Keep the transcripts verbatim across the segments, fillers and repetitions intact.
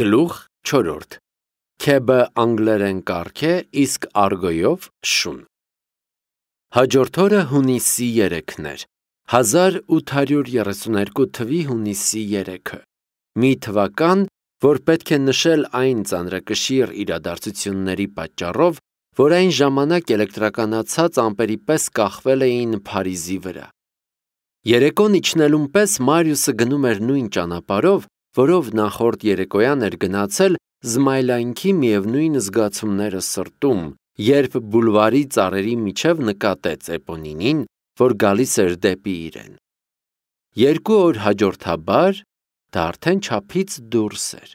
Գլուխ չորրորդ Քեբը անգլերեն կառք է, իսկ արգոյով շուն։ Հաջորդ օրը հունիսի երեքն էր, հազար ութ հարյուր երեսուներկու թվի հունիսի երեքը, մի թվական, որ պետք է նշել այն ծանրակշիռ իրադարձությունների պատճառով, որ այն ժամանակ էլեկտրականացած ամպերի պես կախվել էին Փարիզի վրա։ Երեկոն իջնելուն պես Մարիուսը գնում էր նույն ճանապարհով, որով նախորդ երեկոյան էր գնացել, զմայլայնքի միևնույն զգացումները սրտում, երբ բուլվարի ծառերի միջև նկատեց Էպոնինին, որ գալիս էր դեպի իրեն։ Երկու օր հաջորդաբար դա արդեն չափից դուրս էր։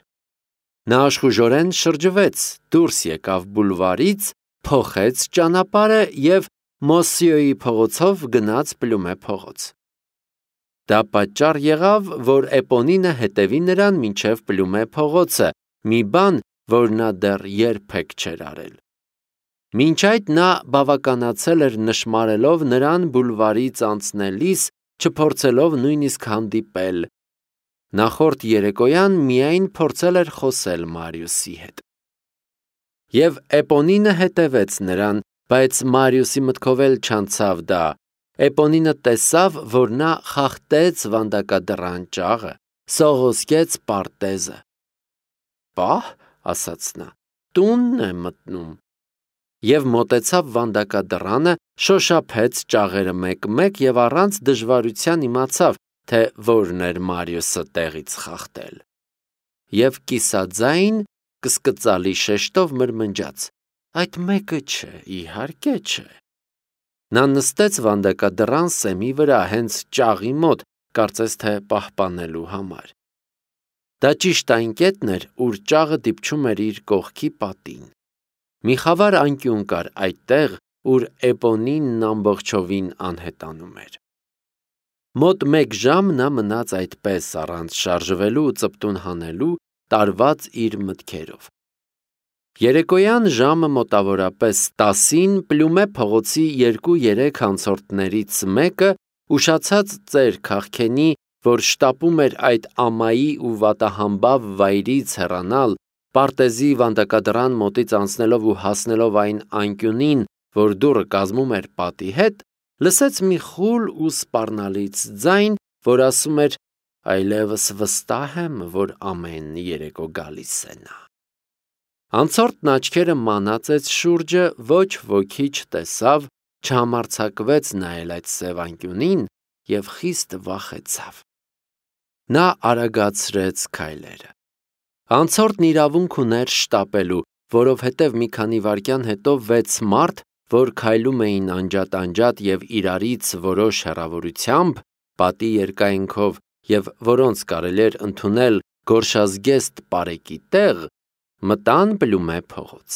Նա աշխուժորեն շրջվեց, դուրս եկավ բուլվարից, փոխեց ճանապարհը և Մոսիոյի փողոցով գնաց Պլումե փողոց։ Դա պատճառ եղավ, որ Էպոնինը հետևի նրան մինչև Պլումե փողոցը, մի բան, որ նա դեռ երբեք չէր արել։ Մինչ այդ նա բավականացել էր նշմարելով նրան բուլվարից անցնելիս, չփորձելով նույնիսկ հանդիպել։ Նախորդ երեկոյան միայն փորձել էր խոսել Մարիուսի հետ։ Եվ Էպոնինը հետևեց նրան, բայց Մարիուսի մտքով էլ չանցավ դա։ Էպոնինը տեսավ, որ նա խախտեց վանդակադռան ճաղը, սողոսկեց պարտեզը։ «Պահ», ասաց նա, «տունն է մտնում»։ Եվ մոտեցավ վանդակադռանը, շոշափեց ճաղերը մեկ-մեկ և առանց դժվարության իմացավ, թե որն էր Մարիուսը տեղից խախտել։ Եվ կիսաձայն, կսկծալի շեշտով մրմնջաց. «Այդ մեկը չէ, իհարկե չէ»։ Նա նստեց վանդակադռան սեմի վրա, հենց ճաղի մոտ, կարծես թե պահպանելու համար։ Դա ճիշտ այն կետն էր, ուր ճաղը դիպչում էր իր կողքի պատին։ Մի խավար անկյուն կար այդտեղ, ուր Էպոնինն ամբողջովին անհետանում էր։ Մոտ մեկ ժամ նա մնաց այդպես, առանց շարժվելու ու ծպտուն հանելու, տարված իր մտքերով։ Երեկոյան ժամը մոտավորապես տասին Պլումե փողոցի երկու-երեք անցորդներից մեկը, ուշացած ծեր քաղքենի, որ շտապում էր այդ ամայի ու վատահամբավ վայրից հեռանալ, պարտեզի վանդակադռան մոտից անցնելով ու հասնելով այն անկյունին, որ դուռը կազմում էր պատի հետ, լսեց մի խուլ ու սպառնալից ձայն, որ ասում էր. «Այլևս վստահ եմ, որ ամեն երեկո գալիս է նա»։ Անցորդն աչքերը մանածեց շուրջը, ոչ ոքի չտեսավ, չհամարձակվեց նայել այդ սև անկյունին և խիստ վախեցավ։ Նա արագացրեց քայլերը։ Անցորդն իրավունք ուներ շտապելու, որովհետև մի քանի վայրկյան հետո վեց մարդ, որ քայլում էին անջատ-անջատ և իրարից որոշ հեռավորությամբ, պատի երկայնքով և որոնց կարելի էր ընդունել գորշազգեստ պարեկի տեղ, մտան Պլումե փողոց։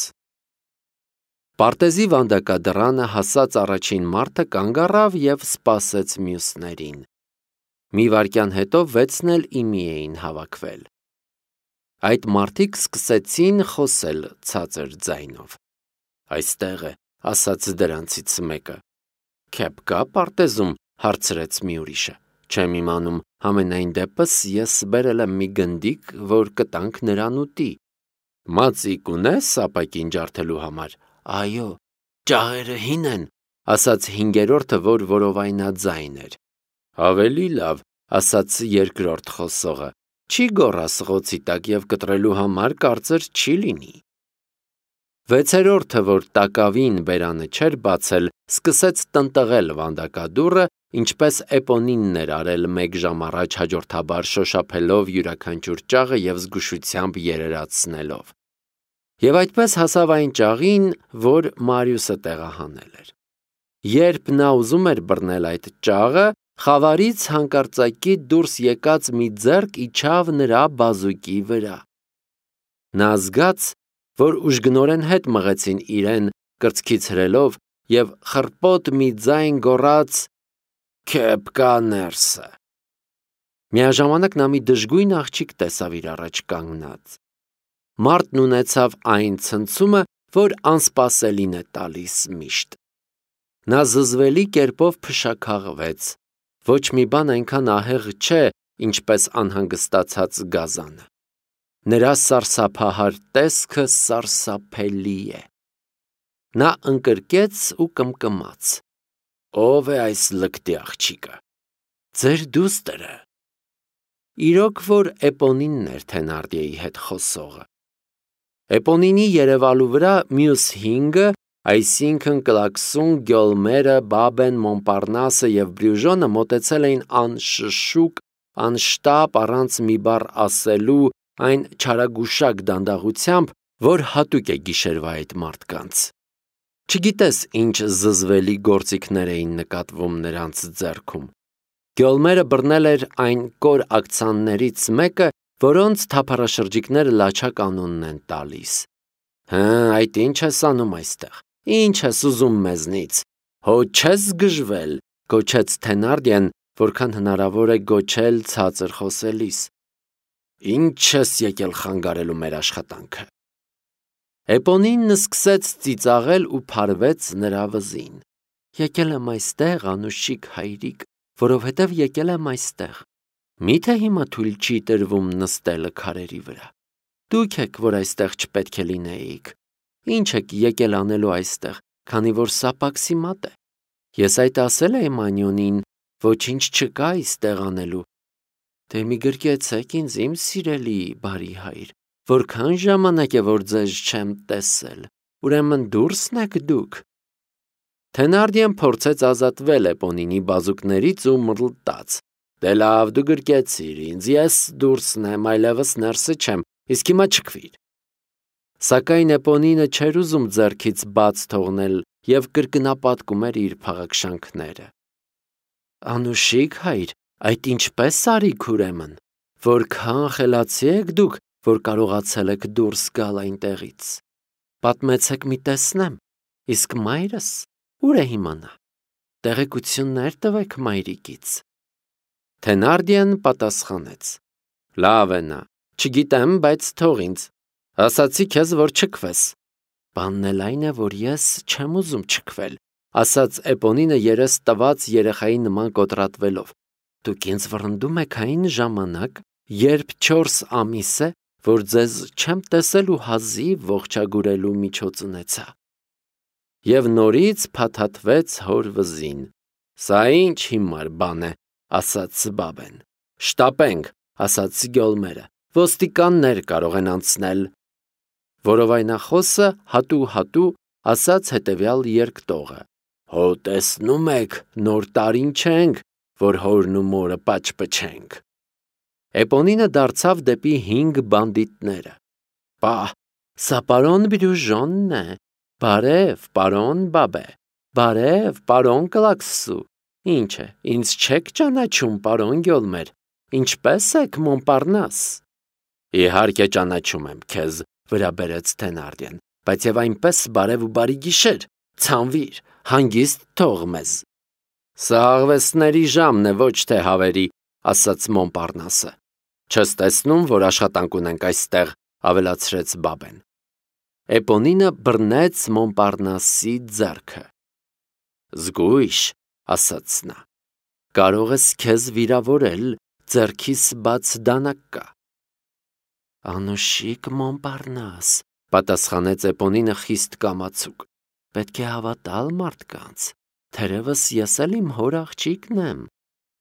Պարտեզի վանդակադռանը հասած առաջին մարդը կանգ առավ և սպասեց մյուսներին։ Մի վայրկյան հետո վեցն էլ ի մի էին հավաքվել։ Այդ մարդիկ սկսեցին խոսել ցածր ձայնով։ «Այստեղ է», ասաց դրանցից մեկը։ «Քեբ կա պարտեզում», հարցրեց մի ուրիշը։ «Չեմ իմանում, համենայն դեպս ես բերել եմ մի գնդիկ, որ կտանք նրան ուտի»։ «Մածիկ ունես ապակին ջարդելու համար»։ «Այո»։ «Ճաղերը հին են», ասաց հինգերորդը, որ որովայնաձայն էր։ «Ավելի լավ», ասաց երկրորդ խոսողը, «չի գոռա սղոցի տակ և կտրելու համար կարծր չի լինի»։ Վեցերորդը, որ տակավին բերանը չէր բացել, սկսեց տնտղել վանդակադուռը, ինչպես Էպոնինն էր արել մեկ ժամ առաջ հաջորդաբար շոշափելով յուրաքանչյուր ճաղը և զգուշությամբ երերացնելով։ Եվ այդպես հասավ այն ճաղին, որ Մարիուսը տեղահանել էր։ Երբ նա ուզում էր բռնել այդ ճաղը, խավարից հանկարծակի դուրս եկած մի ձեռք իջավ նրա բազուկի վրա։ Նա զգաց, որ ուժգնորեն հետ մղեցին իրեն, կրծքից հրելով, և խռպոտ մի ձայն գոռաց. «Քեբ կա ներսը»։ Միաժամանակ նա մի դժգույն աղջիկ տեսավ իր առաջ կանգնած։ Մարդն ունեցավ այն ցնցումը, որ անսպասելին է տալիս միշտ։ Նա զզվելի կերպով փշաքաղվեց։ Ոչ մի բան այնքան ահեղ չէ, ինչպես անհանգստացած գազանը։ Նրա սարսափահար տեսքը սարսափելի է։ Նա ընկրկեց ու կմկմաց. Ո՞վ է այս լկտի աղջիկը։ Ձեր դուստրը։ Իրոք որ Էպոնինն էր Թենարդիեի հետ խոսողը։ Էպոնինի երևալու վրա մյուս հինգը, այսինքն Կլաքսուն, Գյոլմերը, Բաբեն, Մոնպարնասը և Բրյուժոնը մոտեցել էին անշշուկ, անշտապ, առանց մի բառ ասելու, այն չարագուշակ դանդաղությամբ, որ հատուկ է գիշերվա այդ մարդկանց։ Չգիտես ինչ զզվելի գործիքներ էին նկատվում նրանց ձեռքում։ Գյոլմերը բռնել էր այն կոր ակցաններից մեկը, որոնց թափառաշրջիկները լաչակ անունն են տալիս։ Հը, այդ ինչ ես անում այստեղ։ Ինչ ես ուզում մեզնից։ Հո չես գժվել, գոչեց Թենարդիեն, որքան հնարավոր է գոչել ցածր խոսելիս։ Ինչ ես եկել խանգարելու մեր աշխատանքը։ Էպոնինն սկսեց ծիծաղել ու փարվեց նրա վզին։ Եկել եմ այստեղ, անուշիկ հայրիկ, որովհետև եկել եմ այստեղ։ Միթե հիմա թույլ չի տրվում նստելը քարերի վրա։ Դուք եք, որ այստեղ չպետք է լինեիք։ Ինչ եք եկել անելու այստեղ, քանի որ սա պաքսի մատ է։ Ես այդ ասել եմ Անյոնին, ոչինչ չկա այստեղ անելու։ Դե մի գրկեցեք ինձ, իմ սիրելի բարի հայր, որքան ժամանակ է, որ ձեզ չեմ տեսել, ուրեմն դուրսն եք դուք։ Թենարդիեն փորձեց ազատվել Էպոնինի բազուկներից ու մռլտաց. Դե լավ, դու գրկեցիր ինձ, ես դուրսն եմ, այլևս ներսը չեմ, իսկ հիմա չքվիր։ Սակայն Էպոնինը չէր ուզում ձեռքից բաց թողնել և կրկնապատկում էր իր փաղաքշանքները։ Անուշիկ հայր, այդ ինչպես արիք ուրեմն, որքան խելացի եք դուք, որ կարողացել եք դուրս գալ այնտեղից։ Պատմեցեք մի տեսնեմ, իսկ մայրս ուր է հիմա նա։ Տեղեկություններ տվեք մայրիկից։ Թենարդիեն պատասխանեց. Լավ է նա, չգիտեմ, բայց թող ինձ։ Ասացի քեզ, որ չքվես։ Բանն էլ այն է, որ ես չեմ ուզում չքվել, ասաց Էպոնինը երես տված երեխայի նման կոտրատվելով։ Դուք ինձ վռնդում եք այն ժամանակ, երբ չորս ամիս է, որ ձեզ չեմ տեսել ու հազիվ ողջագուրելու միջոց ունեցա։ Եվ նորից փաթաթվեց հոր վզին։ Սա ինչ հիմար բան է, ասաց Բաբեն։ Շտապենք, ասաց Գյոլմերը, ոստիկաններ կարող են անցնել։ Որովայնախոսը հատու-հատու ասաց հետևյալ երկտողը. Հո տեսնում եք, նոր տարին չենք, որ հորն ու մորը պաճպչենք։ Էպոնինը դարձավ դեպի հինգ բանդիտները։ Պահ, սա պարոն Բրյուժոնն է։ Բարև, պարոն Բաբե։ Բարև, պարոն Կլաքսու։ Ինչ է, ինձ չեք ճանաչում, պարոն Գյոլմեր։ Ինչպե՞ս եք, Մոնպարնաս։ Իհարկե ճանաչում եմ քեզ, վրա բերեց Թենարդիեն, բայց եւ այնպես բարև ու բարի գիշեր, ցանվիր, հանգիստ թող մեզ։ Սա աղվեսների ժամն է, ոչ թե հավերի, ասաց Մոնպարնասը։ Չես տեսնում, որ աշխատանք ունենք այստեղ, ավելացրեց Բաբեն։ Էպոնինը բռնեց Մոնպարնասի ձեռքը։ Զգույշ, ասաց նա, կարող ես քեզ վիրավորել, ձեռքիս բաց դանակ կա։ Անուշիկ Մոնպարնաս, պատասխանեց Էպոնինը խիստ կամացուկ, պետք է հավատալ մարդկանց, թերևս ես էլ իմ հոր աղջիկն եմ,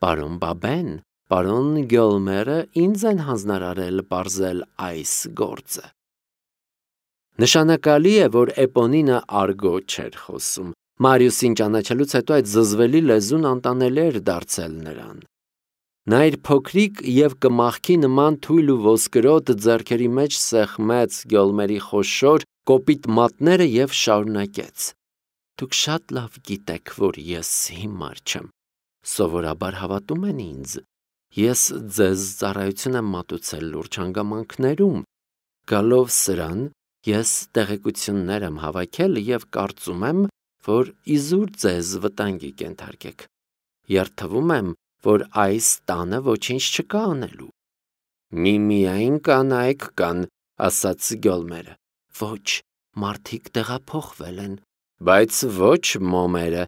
պարոն Բաբեն, պարոն Գյոլմերը ինձ են հանձնարարել պարզել այս գործը։ Նշանակալի է, որ Էպոնինը արգո չէր խոսում, Մարիուսին ճանաչելուց հետո այդ զզվելի լեզուն անտանելի էր դարձել նրան։ Նա իր փոքրիկ և կմախքի նման թույլ ու ոսկրոտ ձեռքերի մեջ սեղմեց Գյոլմերի խոշոր, կոպիտ մատները և շարունակեց. Դուք շատ լավ գիտեք, որ ես հիմար չեմ, սովորաբար հավատում են ինձ, ես ձեզ ծառայություն եմ մատուցել լուրջ հանգամանքներում, գալով սրան, ես տեղեկություններ եմ հավաքել և կարծում եմ, որ իզուր ձեզ վտանգի կենթարկեք, երդվում եմ, որ այս տանը ոչինչ չկա անելու։ Միմիայն կանայք կան, ասաց Գյոլմերը, ոչ, մարդիկ տեղափոխվել են, բայց ոչ մոմերը,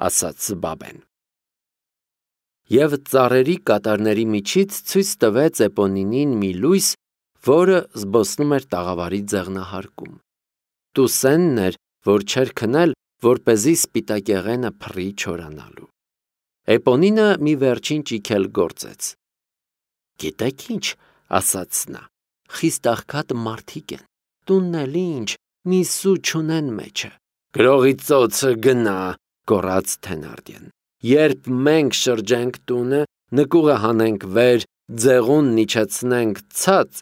ասաց Բաբեն։ Եվ ծառերի կատարների միջից ցույց տվեց Էպոնինին մի լույս, որը զբոսնում էր տաղավարի ձեղնահարկում։ Տուսենն էր, որ չէր քնել, որպեսզի սպիտակեղենը փռի չորանալու։ Էպոնինը մի վերջին ճիգել գործեց։ «Գիտեք ինչ», ասաց նա, «խիստ աղքատ մարդիկ են, տունն էլ ինչ, մի սու չունեն մեջը»։ «Գրողի ծոցը գնա», գոռաց Թենարդիեն։ «Երբ մենք շրջենք տունը, նկուղը հանենք վեր, ձեղունն իջեցնենք ցած,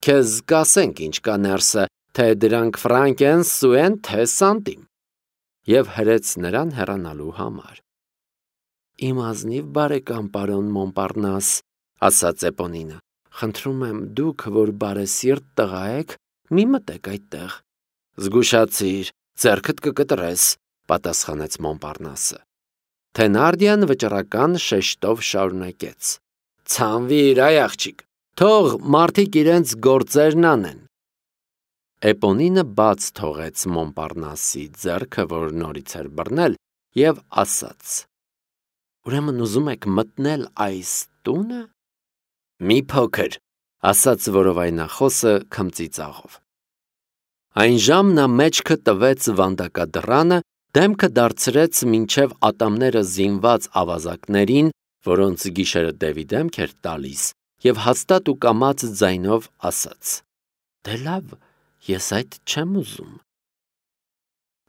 քեզ կասենք ինչ կա ներսը, թե դրանք ֆրանկ են, սու են, թե սանտիմ»։ Եվ հրեց նրան հեռանալու համար։ «Իմ ազնիվ բարեկամ պարոն Մոնպարնաս», ասաց Էպոնինը, «խնդրում եմ դուք, որ բարեսիրտ տղա եք, մի մտեք այդտեղ»։ «Զգուշացիր, ձեռքդ կկտրես», պատասխանեց Մոնպարնասը։ Թենարդիան վճռական շեշտով շարունակեց. «Ցանվիր, այ աղջիկ, թող մարդիկ իրենց գործերն անեն»։ Էպոնինը բաց թողեց Մոնպարնասի ձեռքը, որ նորից էր բռնել, եւ ասաց. «Ուրեմն ուզում եք մտնել այս տունը»։ «Մի փոքր», ասաց որովայնախոսը քմծիծաղով։ Այն ժամ նա մեջքը տվեց վանդակադռանը, դեմքը դարձրեց մինչև ատամները զինված ավազակներին, որոնց գիշերը դևի դեմք էր տալիս, եւ հաստատ ու կամաց ձայնով ասաց. «Դե լավ, ես այդ չեմ ուզում»։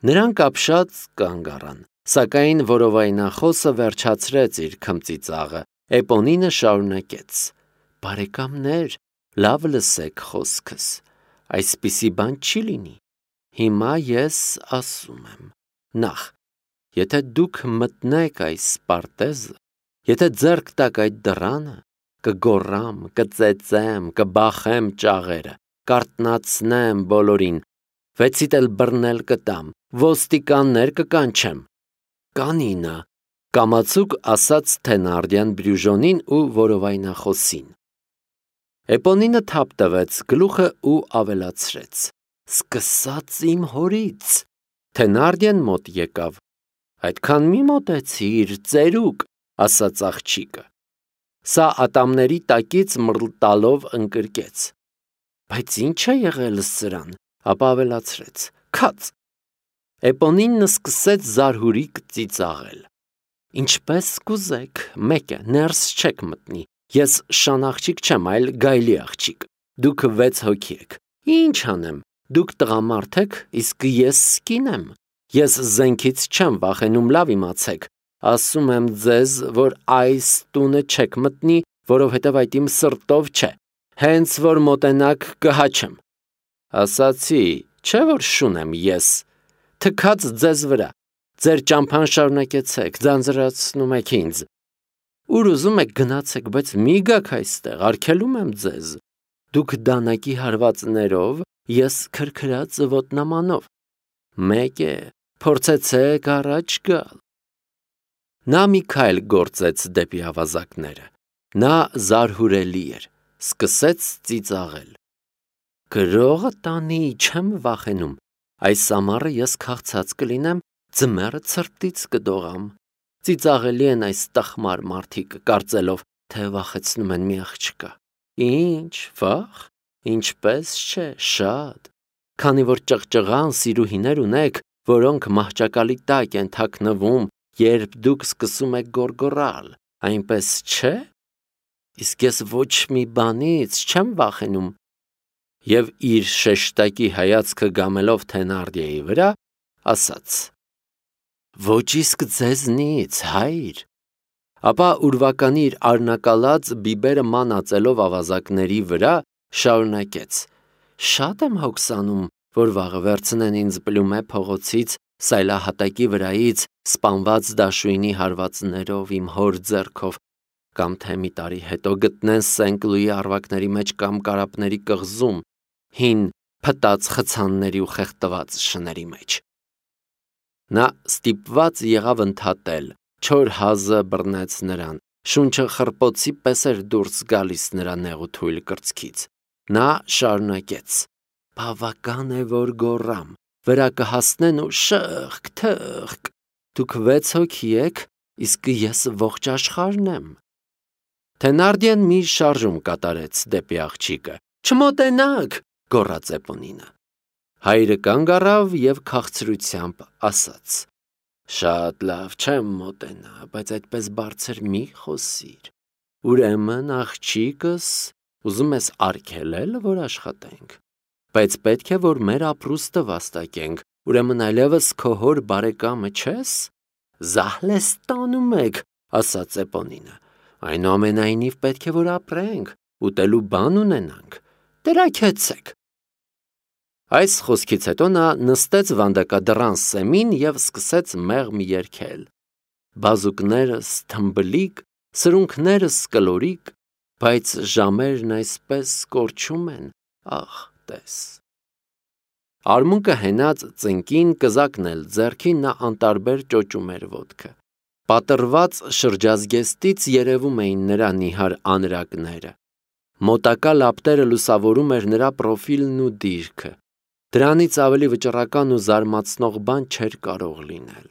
Նրանք ապշած կանգ առան, սակայն որովայնախոսը վերջացրեց իր քմծիծաղը։ Էպոնինը շարունակեց. «Բարեկամներ, լավ լսեք խոսքս, այսպիսի բան չի լինի։ Հիմա ես ասում եմ. նախ, եթե դուք մտնեք այս պարտեզը, եթե ձեռք տաք այդ դռանը, կգոռամ, կծեծեմ, կբախեմ ճաղերը, կարթնացնեմ բոլորին, վեցիդ էլ բռնել կտամ, ոստիկաններ կկանչեմ»։ «Կանինը», կամացուկ ասաց Թենարդիան Բրյուժոնին ու որովայնախոսին։ Էպոնինը թափ տվեց գլուխը ու ավելացրեց. «Սկսած իմ հորից»։ Թենարդիան մոտ եկավ։ «Այդքան մի մոտեցիր, ծերուկ», ասաց աղջիկը։ Սա ատամների տակից մռլտալով ընկրկեց. «Բայց ի՞նչ է եղել սրան», ապա ավելացրեց. «Քաց»։ Էպոնինն սկսեց զարհուրիկ ծիծաղել։ «Ինչպես կուզեք, մեկ է, ներս չեք մտնի, ես շան աղջիկ չեմ, այլ գայլի աղջիկ, դուք վեց հոգի եք, ինչ անեմ, դուք տղամարդ եք, իսկ ես կին եմ, ես զենքից չեմ վախենում, լավ իմացեք, ասում եմ ձեզ, որ այս տունը չեք մտնի, որովհետև այդ իմ սրտով չէ, հենց որ մոտենաք կհաչեմ։ Ասացի, չէ որ շուն եմ ես, թքած ձեզ վրա, ձեր ճամփան շարունակեցեք, ձանձրացնում եք ինձ։ Ուր ուզում եք գնացեք, բայց մի գաք այստեղ, արգելում եմ ձեզ։ Դուք դանակի հարվածներով, ես քրքրած ոտնամանով։ Մեկ է, փորձեցեք առաջ գալ։ Նա մի քայլ գործեց դեպի ավազակները։ Նա զարհուրելի էր, սկսեց ծիծաղել։ Գրողը տանի, չեմ վախենում, այս ամառը ես քաղցած կլինեմ, ձմեռը ցրտից կդողամ։ Ծիծաղելի են այս տխմար մարդիկ, կարծելով, թե վախեցնում են մի աղջկա։ Ինչ, վախ, ինչպես չէ, շատ։ Քանի որ ճղճղան սիրուհիներ ունեք, որոնք մահճակալի տակ են թաքնվում, երբ դուք սկսում եք գոռգոռալ, այնպես չէ։ Իսկ ես ոչ մի բանից չեմ վախենում։ Եվ իր շեշտակի հայացքը գամելով Թենարդիեի վրա, ասաց. Ոչ իսկ ձեզնից, հայր։ Ապա ուրվականի իր արնակալած բիբերը մանածելով ավազակների վրա, շարունակեց. Շատ եմ հոգսանում, որ վաղը վերցնեն ինձ Պլյումե փողոցից, սայլահատակի վրայից, սպանված դաշույնի հարվածներով իմ հոր ձեռքով, կամ թե մի տարի հետո գտնեն Սենկ-Լուի առվակների մեջ կամ կարապների կղզում, հին փտած խցանների ու խեղդված շների մեջ։ Նա ստիպված եղավ ընդհատել, չոր հազը բռնեց նրան, շունչը խրպոցի պես էր դուրս գալիս նրա նեղութույլ կրծքից։ Նա շարունակեց. Բավական է, որ գոռամ, վրա կհասնեն ու շըղկ, թըղկ, դուք վեց հոգի եք, իսկ ես ողջ աշխարհն եմ։ Թենարդիեն մի շարժում կատարեց դեպի աղջիկը, Չմոտենաք, գոռաց Էպոնինը։ Հայրը կանգ առավ եւ քաղցրությամբ ասաց. Շատ լավ, չեմ մոտենա, բայց այդպես բարձր մի խոսիր։ Ուրեմն աղջիկս ուզում ես արգելել, որ աշխատենք, բայց պետք է որ մեր ապրուստը վաստակենք, ուրեմն այլևս քո հոր բարեկամը չես։ Զահլեստանում եք, ասաց Էպոնինը։ Այնուամենայնիվ պետք է որ ապրենք, ուտելու բան ունենանք։ Տրաքեցեք։ Այս խոսքից հետո նա նստեց վանդակադռան սեմին եւ սկսեց մեղմ երգել։ Բազուկներս թմբլիկ, սրունքներս կլորիկ, բայց ժամերն այսպես կորչում են, ախ, տես։ Արմունկը հենած ծնկին, կզակն էլ ձեռքին նա անտարբեր ճոճում էր ոտքը։ Պատրված շրջազգեստից երևում էին նրա նիհար անրակները։ Մոտակա լապտերը լուսավորում էր նրա պրոֆիլն ու դիրքը։ Դրանից ավելի վճռական ու զարմացնող բան չէր կարող լինել։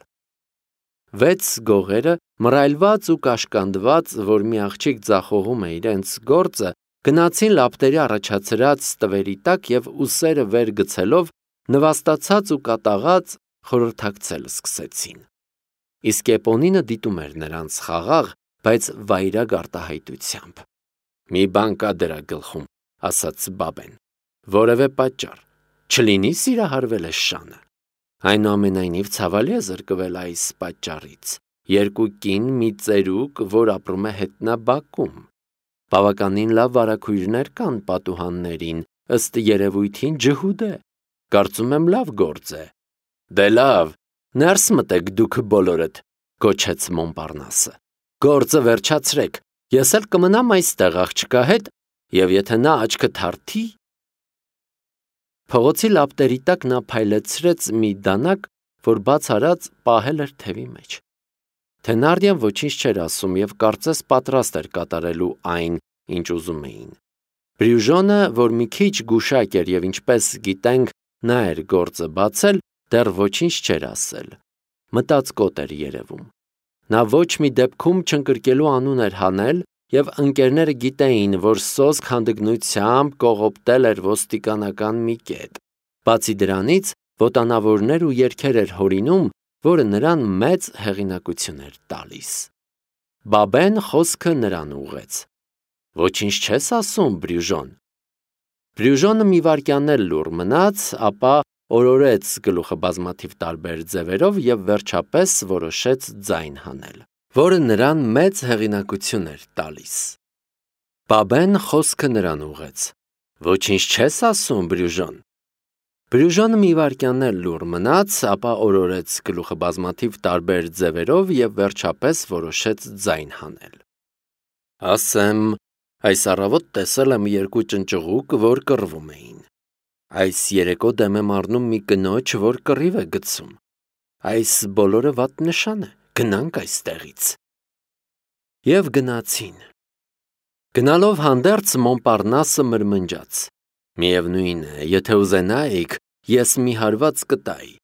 Վեց գողերը, մռայլված ու կաշկանդված, որ մի աղջիկ ձախողում է իրենց գործը, գնացին լապտերի առաջացրած տվերի տակ եւ ուսերը վեր գցելով, նվաստացած ու կատաղած խորհրդակցել սկսեցին։ Իսկ Էպոնինը դիտում էր նրանց խաղաղ, բայց վայրագ արտահայտությամբ։ Մի բան կա դրա գլխում, ասաց Բաբեն, որևէ պատճառ, չլինի սիրահարվել է շանը։ Այնուամենայնիվ ցավալի է զրկվել այս պատճառից։ Երկու կին մի ծերուկ, որ ապրում է հետնաբակում։ Բավականին լավ վարագույրներ կան պատուհաններին, ըստ երևույթին ջհուդ է։ Կարծում եմ լավ գործ է։ Դե լավ, ներս մտեք դուք բոլորդ, գոչեց Մոնպարնասը։ Գործը վերջացրեք, ես էլ կմնամ այստեղ աղջկա հետ, եւ եթե նա աչքը թարթի։ Փողոցի լապտերի տակ նա փայլեցրեց մի դանակ, որ բաց արած պահել էր թևի մեջ։ Թենարդիան ոչինչ չէր ասում եւ կարծես պատրաստ էր կատարելու այն, ինչ ուզում էին։ Բրյուժոնը, որ մի քիչ գուշակ էր եւ ինչպես գիտենք, նա էր գործը բացել, դեռ ոչինչ չէր ասել։ Մտածկոտ էր երևում։ Նա ոչ մի դեպքում չընկրկելու անուն էր հանել եւ ընկերները գիտեին, որ սոսկ հանդգնությամբ կողոպտել էր ոստիկանական մի կետ։ Բացի դրանից, ոտանավորներ ու երգեր էր հորինում, որը նրան մեծ հեղինակություն էր տալիս։ Բաբեն խոսքը նրան ուղղեց։ Ոչինչ չես ասում, Բրյուժոն։ Բրյուժոնը մի վայրկյան էլ լուռ մնաց, ապա օրորեց գլուխը բազմաթիվ տարբեր ձևերով եւ վերջապես որոշեց ձայն հանել, որը նրան մեծ հեղինակություն էր տալիս։ Բաբեն խոսքը նրան ուղղեց։ Ոչինչ չես ասում, Բրյուժոն։ Բրյուժոնը մի վայրկյան էլ լուռ մնաց, ապա օրորեց գլուխը բազմաթիվ տարբեր ձևերով եւ վերջապես որոշեց ձայն հանել։ Ասեմ, այս առավոտ տեսել եմ երկու ճնճղուկ, որ կռվում էին։ Այս երեկո դեմ եմ առնում մի կնոջ, որ կռիվ է գցում։ Այս բոլորը վատ նշան է, գնանք այստեղից։ Եվ գնացին։ Գնալով հանդերձ Մոնպարնասը մրմնջաց. Միևնույն է, եթե ուզենայիք, ես մի հարված կտայի։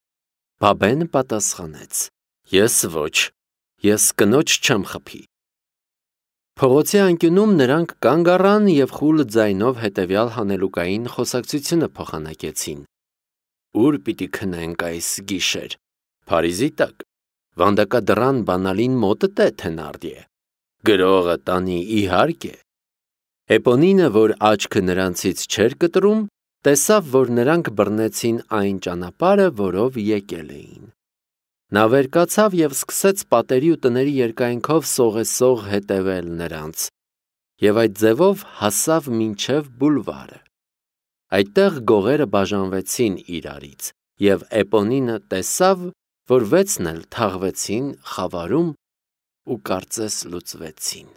Բաբեն պատասխանեց. Ես ոչ, ես կնոջ չեմ խփի։ Փողոցի անկյունում նրանք կանգ առան եւ խուլ ձայնով հետեւյալ հանելուկային խոսակցությունը փոխանակեցին. Ուր պիտի քնենք այս գիշեր։ Փարիզի տակ։ Վանդակադռան բանալին մոտդ է Թենարդիե։ Գրողը տանի իհարկե։ Էպոնինը, որ աչքը նրանցից չէր կտրում, տեսավ, որ նրանք բռնեցին այն ճանապարհը, որով եկել էին։ Նա վեր կացավ եւ սկսեց պատերի ու տների երկայնքով սողեսող հետևել նրանց, եւ այդ ձևով հասավ մինչև բուլվարը։ Այդտեղ գողերը բաժանվեցին իրարից, եւ Էպոնինը տեսավ, որ վեցն էլ թաղվեցին խավարում ու կարծես լուծվեցին։